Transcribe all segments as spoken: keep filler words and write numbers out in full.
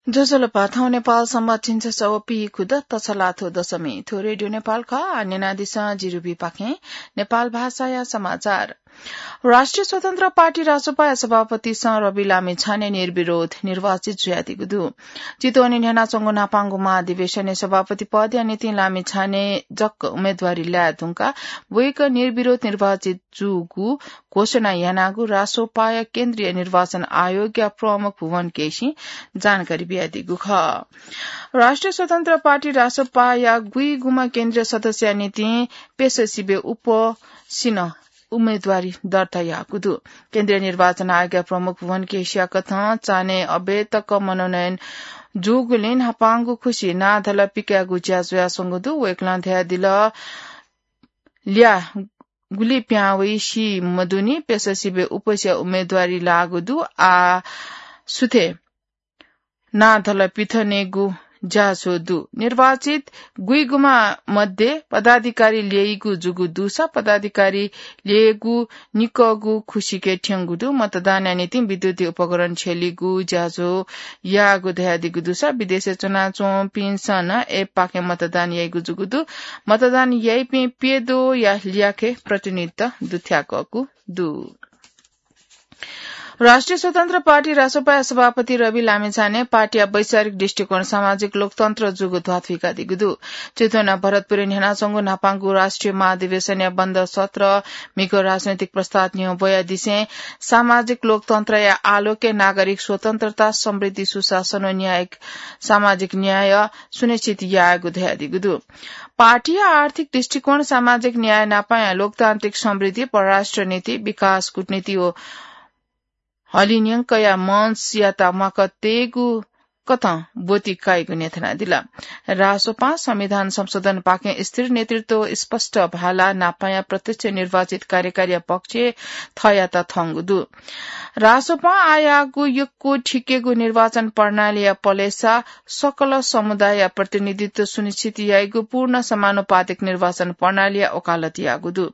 ज्वजलपा, थौं नेपाल संवत झिंछसः व पीखुदँ तछलाथ्व दशमी। थ्व रेडियो नेपाल खः। आः न्यनादिसँ जिरुबीपाखें नेपाल भाषाया समाचार। राष्ट्रिय स्वतन्त्र पार्टी रासोपाया सभापतिसं रवि लामिछाने निर्विरोध निर्वाचित जुयादीगु दु। चितवनय् न्ह्यानाच्वंगु न्हापांगु महाधिवेशनय् सभापति पदया निंतिं लामिछाने जक उम्मेदवारी लाये धुंकाः वय्कः निर्विरोध निर्वाचित जूगु घोषणा यानागु रासोपाया केन्द्रीय निर्वाचन आयोगया प्रमुख भुवन केसीं जानकारी बियादीगु खः। राष्ट्रिय स्वतन्त्र पार्टी रासोपाया गुइगुम्ह केन्द्रीय सदस्यया निंतिं पेससिबे उपसिनं उम्मेदवारी दर्ता याःगु दु। केन्द्रीय निर्वाचन आयोगया प्रमुख भुवन केसीया कथं चान्हय् अबय् तक मनोनयन जूगुलिं न्हापांगु खुसि नाधल पिकायेगु ज्या जुयाच्वंगु दु। वय्कलं धयादिल, ल्याः गुलि पिहां वइ सी मदुनि, पेससिबे उपसिया उम्मेदवारी लाःगु दु। आः सुथय् नाधल पिथनेगु ज्याझ्वः दु। निर्वाचित गुइगुम्ह मध्ये पदाधिकारी ल्यइगु जूगु दुसा पदाधिकारी ल्ययेगु निकःगु खुसिके थ्यंगु दु। मतदानया निंतिं विद्युतीय उपकरण छ्यलीगु ज्याझ्वः याःगु धयादीगु दुसा विदेशय् च्वनाच्वंपिन्सं नं एपपाखें मतदान याइगु जूगु दु। मतदान याइपिं प्यद्वःया ल्याखय् प्रतिनिधित्व दुथ्याकःगु दु। राष्ट्रिय स्वतन्त्र पार्टी रासोपाया सभापति रवि लामिछाने पार्टीया वैचारिक दृष्टिकोण सामाजिक लोकतन्त्र जूगु ध्वाथुइकादीगु दु। चितवनया भरतपुरय् न्ह्यानाच्वंगु न्हापांगु राष्ट्रिय महाधिवेशनया बन्द सत्र म्हिगः राजनैतिक प्रस्ताव न्ह्यः ब्वयादिसें सामाजिक लोकतन्त्रया आलोकय् नागरिक स्वतन्त्रता, समृद्धि, सुशासन व न्यायिक सामाजिक न्याय सुनिश्चित यायेगु धयादीगु दु। पार्टीया आर्थिक दृष्टिकोण, सामाजिक न्याय नापाया लोकतान्त्रिक समृद्धि, परराष्ट्र नीति, विकास कूटनीति व हलिंन्यंकया मञ्चयात म्वाक तयेगु कथं ब्वति काइगु न्ह्यथनादिल। रासोपां संविधान संशोधनपाखें स्थिर नेतृत्व, स्पष्ट भाला नापाया प्रत्यक्ष निर्वाचित कार्यकारीया पक्षय् थःयात थंगु दु। रासोपां आयागु यक्व थिकेगु निर्वाचन प्रणालीया पलेसा सकल समुदायया प्रतिनिधित्व सुनिश्चित याइगु पूर्ण समानुपातिक निर्वाचन प्रणालीया वकालत याःगु दु।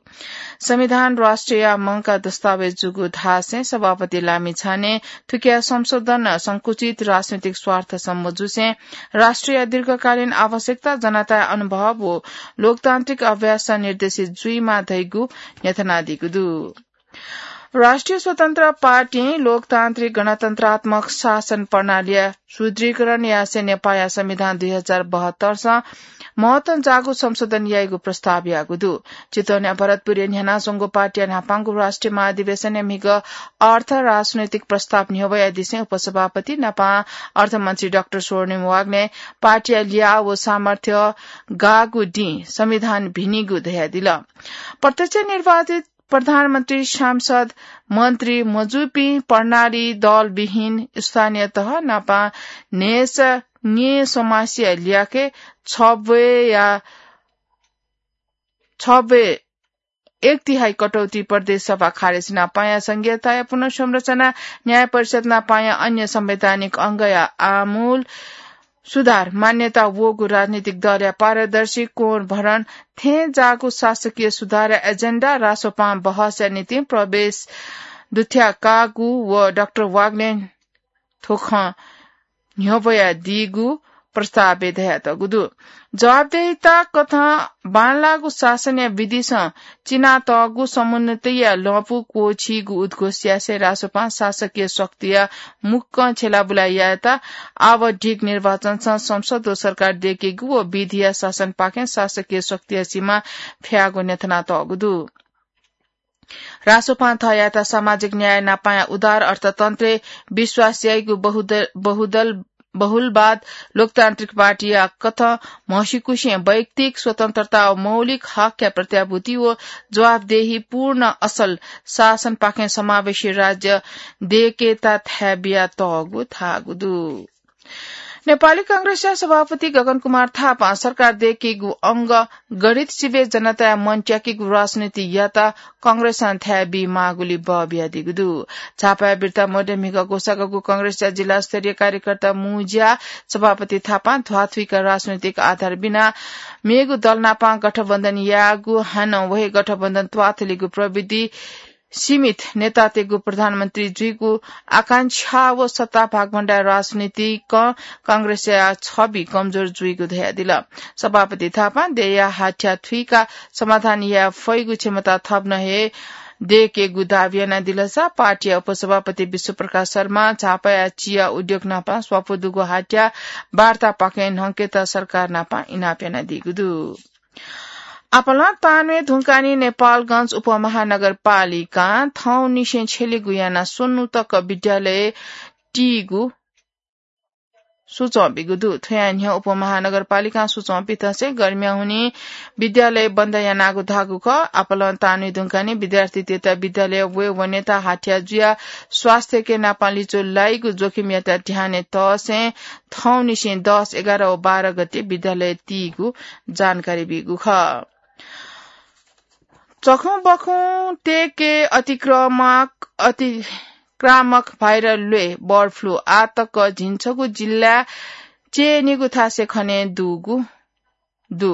संविधान राष्ट्रया मंकाः दस्तावेज जूगु धासें सभापति लामिछाने थुकिया संशोधन संकुचित राजनैतिक स्वार्थ सम्म जूसें राष्ट्रया दीर्घकालीन आवश्यकता, जनताया अनुभव व लोकतान्त्रिक अभ्यासं निर्देशित जुइमाः धइगु न्ह्यथनादीगु दु। राष्ट्रिय स्वतन्त्र पार्टीं लोकतान्त्रिक गणतन्त्रात्मक शासन प्रणालीया सुदृढीकरण यासें नेपाःया संविधान दुई हजार बहत्तरसं महत्वं जाःगु संशोधन याइगु प्रस्ताव याःगु दु। चितवनया भरतपुरय् न्ह्यानाच्वंगु पार्टीया न्हापांगु राष्ट्रिय महाधिवेशनय् म्हिगः अर्थ राजनैतिक प्रस्ताव न्ह्यब्वयादिसें उपसभापति नापं अर्थमन्त्री डाक्टर स्वर्णिम वाग्लें पार्टीया ल्याः व सामर्थ्य गाःगु दिं संविधान भिनिगु धयादिल। प्रत्यक्ष निर्वाचित प्रधानमन्त्री, सांसद, मन्त्री मजूपिं प्रणाली दलविहीन स्थानीय तह नापं न्हय्‌सः न्येँ समासिया ल्याखय् छब्वय्‌या, छब्वय् एक तिहाई कटौती प्रदेश सभा खारेज नापंया संघीयताया पुनर्संरचना, न्याय परिषद नापंया अन्य संवैधानिक अंगया आमूल सुधार, मान्यता वःगु राजनीतिक दलया पारदर्शी कोण भरण थें जाःगु शासकीय सुधारया एजेन्डा रासोपां बहसया निंतिं प्रवेश दुथ्याकागु व डाक्टर वाग्लें थ्व खँ न्ह्यब्वयादीगु प्रस्तावय् धयातःगु दु। जवाफदेहिता कथं बांलाःगु शासनया विधिसं चिनातःगु समुन्नतिया लँपु क्वःछीगु उद्घोष यासें रासोपां शासकीय शक्तिया मुक्कं छ्यलाबुला यायेत आवधिक निर्वाचनसं संसद व सरकार दय्‌केगु व विधिया शासनपाखें शासकीय शक्तिया सीमा फ्याःगु न्ह्यथनातःगु दु। रासोपां थःयात सामाजिक न्याय नापाया उदार अर्थतन्त्रय् विश्वास याइगु बहुदल, बहुदल, बहुलवाद लोकतान्त्रिक पार्टीया कथं म्हसीकुसिं वैयक्तिक स्वतन्त्रता व मौलिक हकया प्रत्याभूति व जवाफदेही पूर्ण असल शासनपाखें समावेशी राज्य दय्‌केत थाय् बियातःगु धाःगु दु। नेपाली कांग्रेसया सभापति गगन कुमार थापां सरकार दय्‌केगु अंग गणित सिबें जनताया मन त्याकेगु राजनीतियात कांग्रेसं थाय् बी माःगुलिं बः बियादीगु दु। झापाया बिर्ता मध्य म्हिगः ग्वसाःगु कांग्रेसया जिल्ला स्तरीय कार्यकर्ता मुंज्या सभापति थापां ध्वाथुइक राजनीतिक आधार बिना मेगु दल नाप गठबन्धन याःगु, हानं व हे गठबन्धन त्वाथलीगु प्रविधि सीमित नेतातय्गु प्रधानमन्त्री जुइगु आकांक्षा व सत्ता भागभण्डार राजनीतिकं कांग्रेसया छवि कमजोर जुइगु धयादिल। सभापति थापां देय्या हाथ्या थुइकाः समाधान याये फइगु क्षमता थप नं हे दयेकेगु दावी यानादिल। पार्टीया उपसभापति विश्वप्रकाश शर्मा झापाया चिया उद्योग नापं स्वापू दुगु हाथ्या वार्तापाखें न्हंकेत सरकार नापं इनाप यानादीगु दु। आपालं तान्हु धुंकाः नेपालगंज उपमहानगरपालिकां थौंनिसें छ्यलेगु यानाः स्वन्हु तक विद्यालय तीगु सुचं बीगु दु। थ्वया न्ह्यः उपमहानगरपालिकां सुचं बीथंसे गर्मिया हुनिं विद्यालय बन्द यानागु धाःगु खः। आपालं तान्हु धुंकाः विद्यार्थीतय्त विद्यालय वये वनेत हाथ्या जुयाः स्वास्थ्यके नापं लिचु लाइगु जोखिमयात ध्यानय् तःसें थौंनिसें दस, एघार व बाह्र गते विद्यालय तीगु जानकारी बीगु खः। चखुं बखुं तय्के अतिक्रामक, अतिक्रामक भाइरल ल्वय् बर्ड फ्लू आः तक झिंछगू जिल्लाय् च्यय् निगू थासय् खने दुगु दु।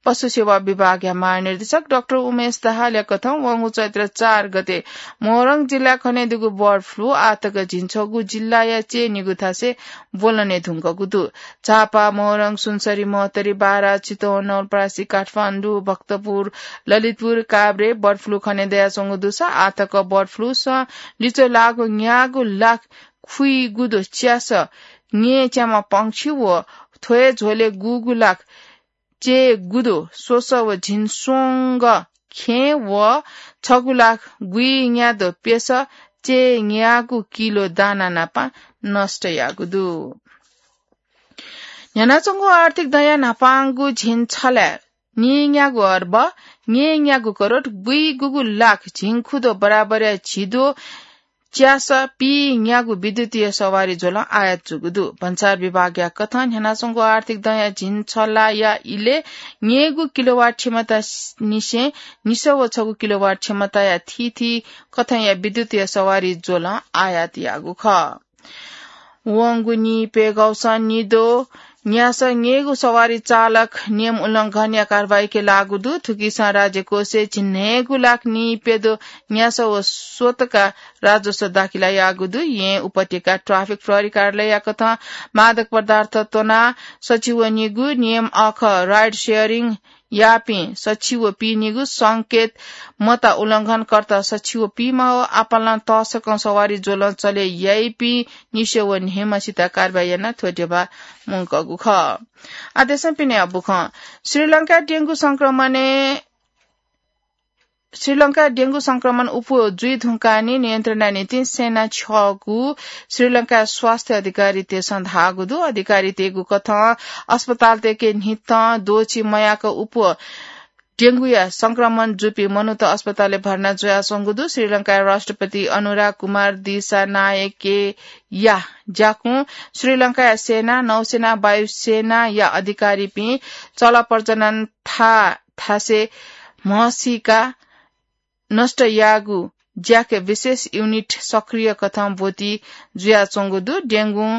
पशु सेवा विभागया महानिर्देशक डाक्टर उमेश दाहालया कथं वंगु चैत्र चार गते मोरङ जिल्लाय् खने दुगु बर्ड फ्लू आः तक झिंछगू जिल्लाया च्यय् निगू थासय् ब्वलने धुंकूगु दु। झापा, मोरङ, सुनसरी, महोत्तरी, बारा, चितवन, नवलपरासी, काठमाडौं, भक्तपुर, ललितपुर, काभ्रे बर्ड फ्लू खने दयाच्वंगु दुसा आः तक बर्ड फ्लूसं लिचु लाःगु न्यागू लाख खुइगुदु च्यासः ङय् च्याम्ह पंक्षी व थ्व हे झ्वलय् गुगू लाख च्यय् गुदु स्वसः व झिंस्वंगः खेँ व छगू लाख गुइन्यादु प्यसः च्यय् न्यागू किलो दाना नापं नष्ट याःगु दु। न्ह्यानाच्वंगु आर्थिक दँया न्हापांगु झिंछलाय् नीन्यागू अर्ब नीन्यागू करोड गुइगुगू लाख झिंखुदँ बराबरया झिद्वः च्यासः पीन्यागू विद्युतीय सवारी ज्वलं आयात जूगु दु। भन्सार विभागया कथं न्ह्यानाच्वंगु आर्थिक दँया झिंछलाया इलय् न्यय्गू किलोवाट क्षमता निसें निसः व छगू किलोवाट क्षमताया थीथी कथंया विद्युतीय सवारी ज्वलं आयात याःगु खः। वंगु नीप्यघौसं निद्वः न्यासः न्यय्गू सवारी चालक नियम उल्लंघनया कारवाहीके लाःगु दु। थुकिसं राज्यकोषय् झिंन्हय्गू लाख नीप्यद्वः न्यासः व स्वतका राजस्व दाखिला याःगु दु। येँ उपत्यका ट्राफिक प्रहरी कार्यालयया कथं मादक पदार्थ त्वनाः सछि वनीगु, नियम अःखः राइड सेयरिङ याःपिं सछि व पीनिगु, संकेत मता उल्लंघनकर्ता सछि व पीम्ह व आपालं तःसकं सवारी ज्वलं चले याइपिं निसः व न्हय्म्हसित कारवाही यानाः थ्व ध्यबा मुंकूगु खः। आदेशं पिने अबुखं श्रीलंका डेंगू संक्रमणय् श्रीलंका डेंगू संक्रमण उप जुइ धुंकाः नियन्त्रणया निंतिं सेना छ्यःगु श्रीलंका स्वास्थ्य अधिकारीतय्सं धाःगु दु। अधिकारीतय्गु कथं अस्पतालतय्के न्हितं द्वःछि मयाक उप डेंगूया संक्रमण जूपिं मनूत अस्पतालय् भर्ना जुयाच्वंगु दु। श्रीलंकाया राष्ट्रपति अनुरा कुमार दिसानायकेया ज्याकुं श्रीलंकाया सेना, नौसेना, वायुसेनाया अधिकारीपिं चलप्रजनन था थासय् म्हसीका नष्ट याःगु ज्याकय् विशेष युनिट सक्रिय कथं ब्वति जुयाच्वंगु दु। डेंगुं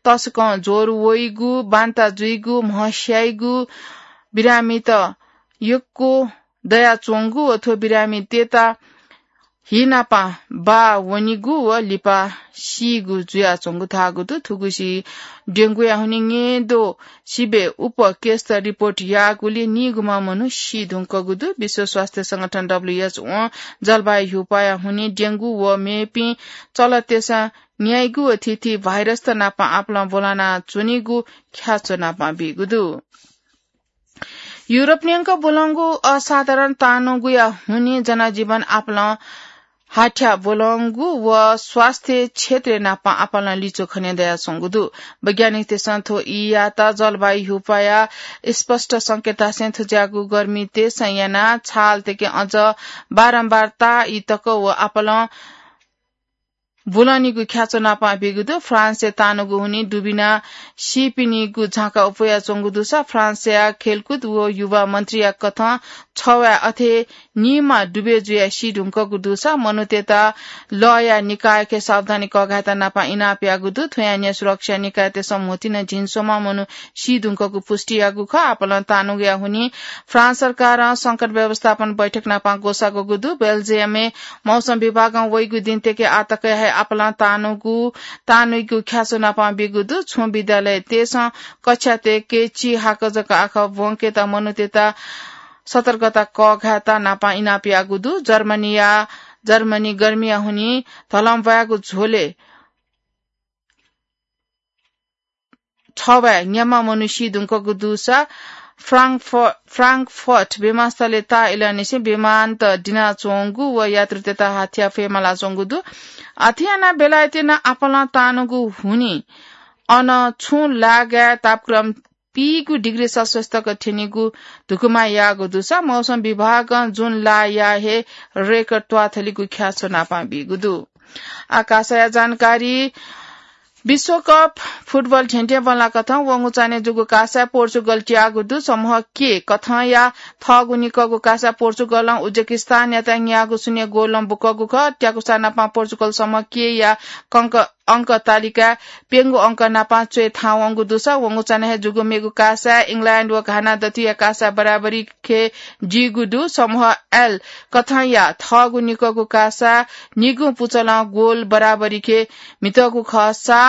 तसकं ज्वर वइगु, बान्ता जुइगु, म्हस्याइगु बिरामीत यक्व दयाच्वंगु व थ्व बिरामीतय्त हि नापं बाः वनीगु व लिपा सीगु जुयाच्वंगु धाःगु दु। थुगुसी डेंगुया हुनिं न्यय्द्वः सिबें उप केसत रिपोर्ट याःगुलिं नीगुम्ह मनू सी धुंकूगु दु। विश्व स्वास्थ्य संगठन, डब्ल्यूएचओं जलवायु ह्युपाया हुनिं डेंगु व मेपिं चलतय्सं न्याइगु व थीथी भाइरसत नापं आपालं ब्वलाना च्वनीगु ख्याच्वः नापं बीगु दु। युरोप न्यंक ब्वलंगु असाधारण तानुगुया हुनिं जनजीवन आपालं हाथ्या ब्वलंगु व स्वास्थ्य क्षेत्रय् नापं आपालं लिचु खने दयाच्वंगु दु। वैज्ञानिकतय्सं थ्व ईयात जलवायु ह्युपाया स्पष्ट संकेततय्सं थज्याःगु गर्मीतय्सं यानाः छालतय्के अझ बारम्बार ताःई तक व आपालं ब्वलंनिगु ख्याच्वः नापं बीगु दु। फ्रान्सय् तानुगु हुनिं दुबिना सीपिनिगु झाँक्री अप्वयाच्वंगु दुसा फ्रान्सया खेलकुद व युवा मन्त्रीया कथं छवाय् अथे निमा डुबे जुया सी धुंकगु दुसा मनूतय्त लया निकायके सावधानी कःघायेत नापं इनाप याःगु दु। थ्वया न्ह्यः सुरक्षा निकायतय्सं म्होतिन झिंस्वम्ह मनू सी धुंकगु पुष्टि याःगु खः। आपालं तानुगुया हुनिं फ्रान्स सरकारं संकट व्यवस्थापन बैठक नापं ग्वसाःगु दु। बेल्जियमय् मौसम विभागं वइगु दिनतय्के आःतकया हे आपालं तानुगु, तानुइगु ख्यासो नापं बीगु दु। छुं विद्यालयतय्सं कक्षातय्के चिहाकः जक आखः ब्वंकेत मनूतय्त सतर्कता कःघायेत नापं इनाप याःगु दु। जर्मनीया, जर्मनी गर्मीया हुनिं धलंब्वायेगु झ्वलय् छवाय् न्याम्ह मनू सी धुंकगु दुसा फ्रांकफ-, फ्रांकफर्ट विमानस्थलय् ताःइलंनिसें विमानत दिनाच्वंगु व यात्रुतय्त हाथ्या फयेमालाच्वंगु दु। अथे यानाः बेलायतय् नं आपालं तानुगु हुनिं अन छुं लागाय् तापक्रम पीगु डिग्री सेल्सियस तक थ्यनीगु धुकुमा याःगु दुसा मौसम विभागं जुन लाया हे रेकर्ड त्वाथलीगु ख्यासो नापं बीगु दु। आकाशया जानकारी। विश्वकप फुटबल धेंधेंबल्लाकथं वंगु चान्हय् जूगु कासाय् पोर्चुगल त्याःगु दु। समूह के कथंया थःगु निकःगु कासाय् पोर्चुगलं उज्बेकिस्तानयात न्यागू शून्य गोलं बुकूगु खः। त्याकुसा नापं पोर्चुगल समूह के या कंक अंक तालिकाय् प्यंगू अंक नापं च्वय् थाहां वंगु दुसा वंगु चान्हय् जूगु मेगु कासाय् इंग्ल्याण्ड व घाना दथुया कासाय् बराबरी खे जीगु दु। समूह एल कथंया थःगु निकःगु कासाय् निगू पुचलं गोल बराबरी खे म्हितःगु खःसा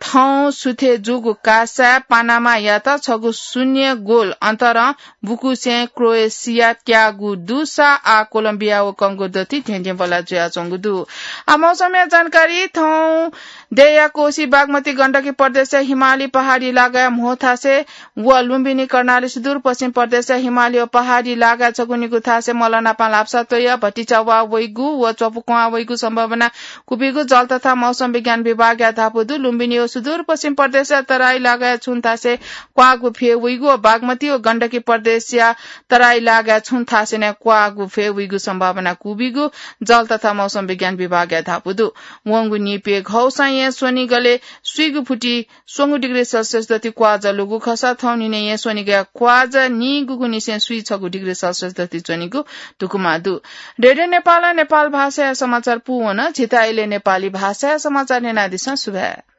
थौं सुथय् जूगु कासाय् पानामायात छगू शून्य गोल अन्तरं बुकुसें क्रोएसिया त्याःगु दुसा आः कोलम्बिया व कंगो दथुइ धेंधेंबल्ला जुयाच्वंगु दु। आः मौसमया जानकारी। थौं देय्‌या कोशी बागमती गण्डकी प्रदेशया हिमाली पहाडी लागाय् म्हो थासय् व लुम्बिनी कर्णाली सुदूरपश्चिम प्रदेशया हिमाली व पहाडी लागाय् छगू निगू थासय् मलनापं ल्हापसा त्वय् भतिचा वा वइगु व च्वपुक्वं वइगु सम्भावना कुबिगु जल तथा मौसम विज्ञान विभागया धापू दु। लुम्बिनी व सुदूरपश्चिम प्रदेशया तराई लागाय् छुं थासय् क्वाःगु फय् वइगु व बागमती व गण्डकी प्रदेशया तराई लागाय् छुं थासय् नं क्वाःगु फय् वइगु सम्भावना कुबिगु जल तथा मौसम विज्ञान विभागया धापू दु। वंगु निपय् घौसां येँ स्वनिगलय् स्वीगु फुति स्वंगू डिग्री सेल्सियस दथुइ क्वाःजा लूगु खःसा थौं न्हिनय् येँ स्वनिगया क्वाःजा नीगूगुनिसें स्वीछगू डिग्री सेल्सियस दथुइ च्वनीगु धुकुमा दु। रेडियो नेपालं नेपाल भाषाया समाचार पूवन। झीत इलय् नेपाली भाषाया समाचार न्यनादिसँ। सुभाय्।